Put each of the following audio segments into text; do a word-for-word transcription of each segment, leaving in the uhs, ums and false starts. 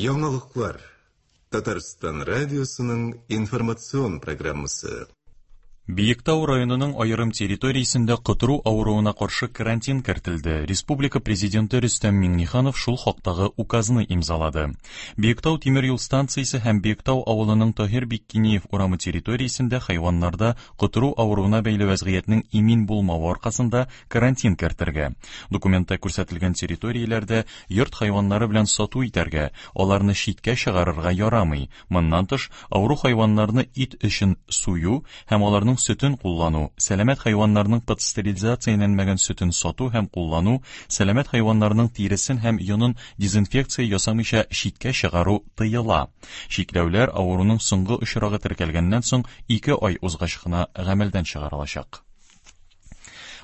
Яңалыклар. Татарстан радиосының информацион программасы. Биектау районының аерым территориясендә котыру авыруына каршы карантин кертелде. Республика президенты Рөстәм Миңнеханов шул хактагы указны имзалады. Биектау тимер юл станциясе һәм Биектау авылының Таһир Биккиниев урамы территориясендә хайваннарда котыру авыруына бәйле вәзгыятьнең имин булмавы аркасында карантин кертергә. Документта күрсәтелгән территорияләрдә йорт хайваннары белән сату итәргә, аларны читкә чыгарырга ярамый. Моннан тыш, авыру хайваннарны ит өчен сую һәм аларның сөтен куллану, сәламәт хайваннарның пастеризацияләнмәгән сөтен сату һәм куллану, сәламәт хайваннарның тиресен һәм йонын дезинфекция ясамыйча читкә чыгару тыела. Чикләүләр авыруның соңгы очрагы теркәлгәннән соң ике ай узгач кына гамәлдән чыгарылачак.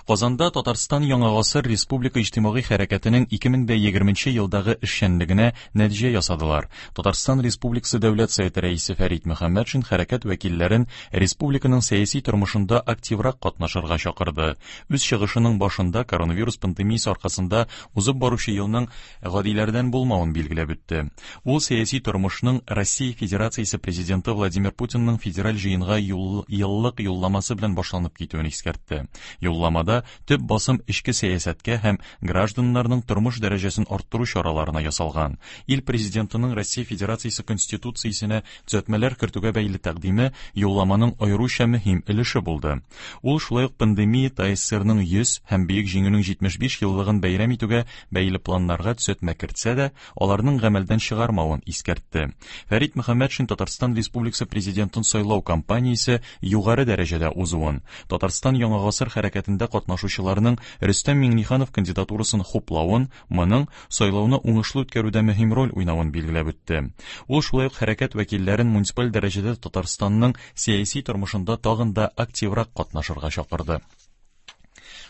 Казанда Татарстан Яңа гасыр республика иҗтимагый хәрәкәтенең ике мең дә егерменче елдагы эшчәнлегенә нәтиҗә ясадылар. Татарстан Республикасы Дәүләт Советы рәисе Фәрит Мөхәммәтшин хәрәкәт вәкилләрен республиканың сәяси тормышында активрак катнашырга чакырды. Үз чыгышының башында коронавирус пандемиясе аркасында узып баручы елның гадиләрдән булмавын билгеләп үтте. Ул сәяси тормышның Россия Федерациясе президенты Владимир Путинның федераль җыенга юл, еллык юлламасы белән башланып китүен искәртте. Юлламада төп басым эчке сәясәткә һәм гражданнарның тормыш дәрәҗәсен арттыру чараларына ясалган. Ил президентының Россия Федерациясе Конституциясенә төзәтмәләр кертүгә бәйле тәкъдиме юлламаның аеруча мөһим өлеше булды. Ул шулай ук пандемия ТАССРның йөз һәм Бөек Җиңүнең җитмеш биш еллыгын бәйрәм итүгә бәйле планнарга төзәтмә кертсә дә, аларның гамәлдән чыгармавын искәртте. Фәрит Мөхәммәтшин Татарстан Республикасы президентын сайлау кампаниясе югары дәрәҗәдә узуын, Татарстан Яңа гасыр хәрәкәтендә катнашучыларның Рөстәм Миңнеханов кандидатурасын хуплавын, моның сайлауны уңышлы үткәрүдә мөһим роль уйнавын билгеләп үтте. Ул шулай ук хәрәкәт вәкилләрен муниципаль дәрәҗәдә Татарстанның сәяси тормышында тагын да активрак катнашырга чакырды.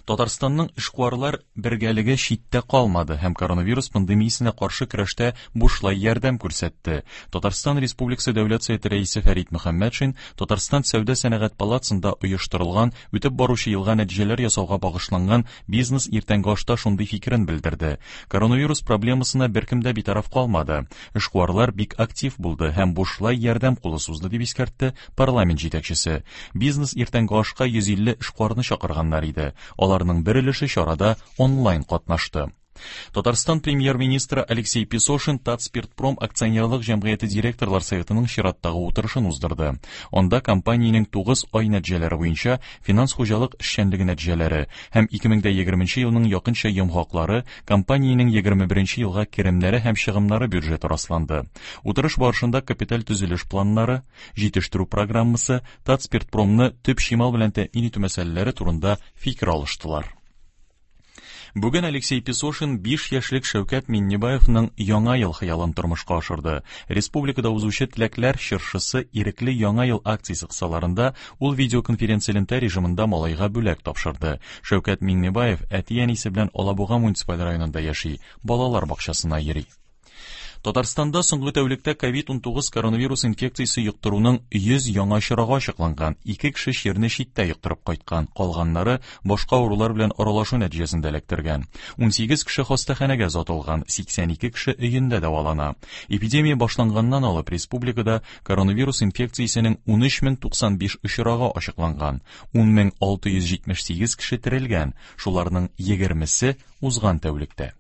Татарстанның эшкуарлар бергәлеге читтә калмады һәм коронавирус пандемиясенә каршы көрәштә бушлай ярдәм күрсәтте. Татарстан Республикасы Дәүләт Советы рәисе Фәрит Мөхәммәтшин Татарстан Сәүдә сәнәгать палатасында оештырылган үтеп баручы елга нәтиҗәләр ясауга багышланган бизнес иртәнге ашта шундый фикерен белдерде. Коронавирус проблемасына беркем дә битараф калмады. Эшкуарлар бик актив булды һәм бушлай ярдәм кулы сузды, дип искәртте парламент җитәкчесе. Бизнес иртәнге ашка йөз илле эшкуарны чакырганнар иде. Аларның бер өлеше чарада онлайн катнашты. Татарстан премьер-министры Алексей Песошин Татспиртпром акционерлык җәмгыяте директорлар советының чираттагы утырышын уздырды. Анда компаниянең тугыз ай нәтиҗәләре буенча финанс хуҗалык эшчәнлеге нәтиҗәләре һәм ике мең дә егерменче елның якынча йомгаклары, компаниянең егерме беренче елга керемнәре һәм чыгымнары бюджеты расланды. Утырыш барышында капиталь төзелеш планнары, җитештерү программасы, Татспиртпромны төп чимал белән тәэмин итү мәсьәләләре турында фикер алыштылар. Бүген Алексей Песошин биш яшьлек Шәүкәт Миннебаевның яңа ел хыялын тормышка ашырды. Республикада узучы теләкләр чыршысы ирекле яңа ел акциясе кысаларында ул видеоконференция элемтә режимында малайга бүләк тапшырды. Шәүкәт Миңнебаев әти-әнисе белән Алабуга муниципаль районында яши, балалар бакчасына йөри. Татарстанда соңгы тәүлектә ковид унтугыз коронавирус инфекциясе йоктыруның йөз яңа очрагы ачыкланган. Ике кеше чирне читтә йоктырып кайткан, калганнары башка авырулар белән аралашу нәтиҗәсендә эләктергән. Унсигез кеше хастаханәгә озатылган, сиксән ике кеше өендә дәвалана. Эпидемия башланганнан алып республикада коронавирус инфекциясенең унөч мең туксан биш очрагы ачыкланган, ун мең алты йөз җитмеш сигез кеше терелгән, шуларның егермесе узган тәүлектә.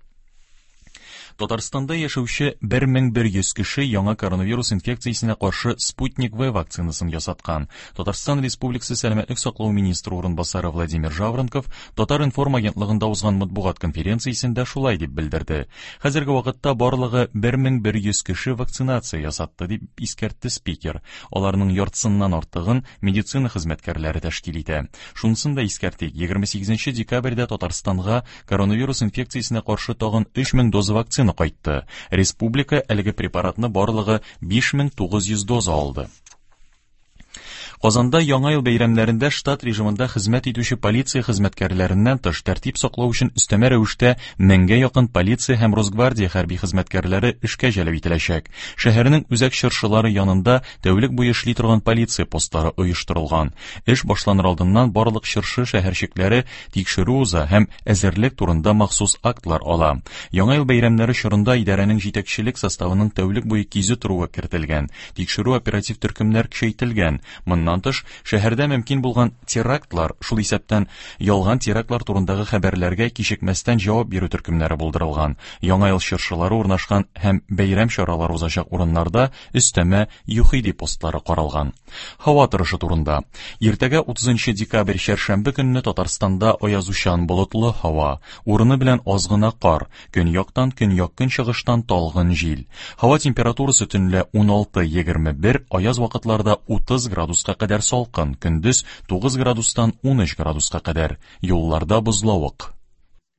Татарстанда яшәүче бер мең бер йөз кеше яңа коронавирус инфекциясенә каршы Спутник В вакцинасын ясаткан. Татарстан Республикасы Сәламәтлек саклау министры урынбасары Владимир Жаворонков Татар-информ агентлыгында узган матбугат конференциясендә шулай дип белдерде. Хәзерге вакытта барлыгы бер мең бер йөз кеше вакцинация ясатты, дип искәртте спикер. Аларның яртысыннан артыгын медицина хезмәткәрләре тәшкил итә. Шунысын да искәртик, егерме сигезенче декабрьдә Татарстанга коронавирус инфекциясенә каршы тагын өч мең доза вакцина кайтты. Республика әлеге препаратны барлыгы биш мең тугыз йөз доза алды. Казанда Яңа ел бәйрәмнәрендә штат режимында хезмәт итүче полиция хезмәткәрләреннән тыш тәртип саклау өчен өстәмә рәвештә меңгә якын полиция һәм Росгвардия хәрби хезмәткәрләре эшкә җәлеп ителәчәк. Шәһәрнең үзәк чыршылары янында тәүлек буе эшли торган полиция постлары оештырылган. Эш башланыр алдыннан барлык чыршы шәһәрчекләре тикшерү уза һәм әзерлек турында махсус актлар ала. Яңа ел бәйрәмнәре чорында идарәнең җитәкчелек составының тәүлек буе кизү торуы кертелгән. Тикшерү оператив төркемнәр көчәйтелгән. Моннан тыш, шәһәрдә мөмкин булган терактлар, шул исәптән ялган терактлар турындагы хәбәрләргә кичекмәстән җавап бирү төркемнәре булдырылган. Яңа ел чыршылары урнашкан һәм бәйрәм чаралары узачак урыннарда өстәмә ЮХИДИ постлары каралган. Һава торышы турында. Иртәгә утызынчы декабрь чәршәмбе көнне Татарстанда аязучан болытлы һава, урыны белән аз гына кар, көньяктан көньяк-көнчыгыштан талгын җил. Һава температурасы төнлә уналты егерме бер, аяз вакытларда утыз градуска кадәр салкын, көндез тугыз градустан унөч градуска кадәр. Юлларда бозлавык.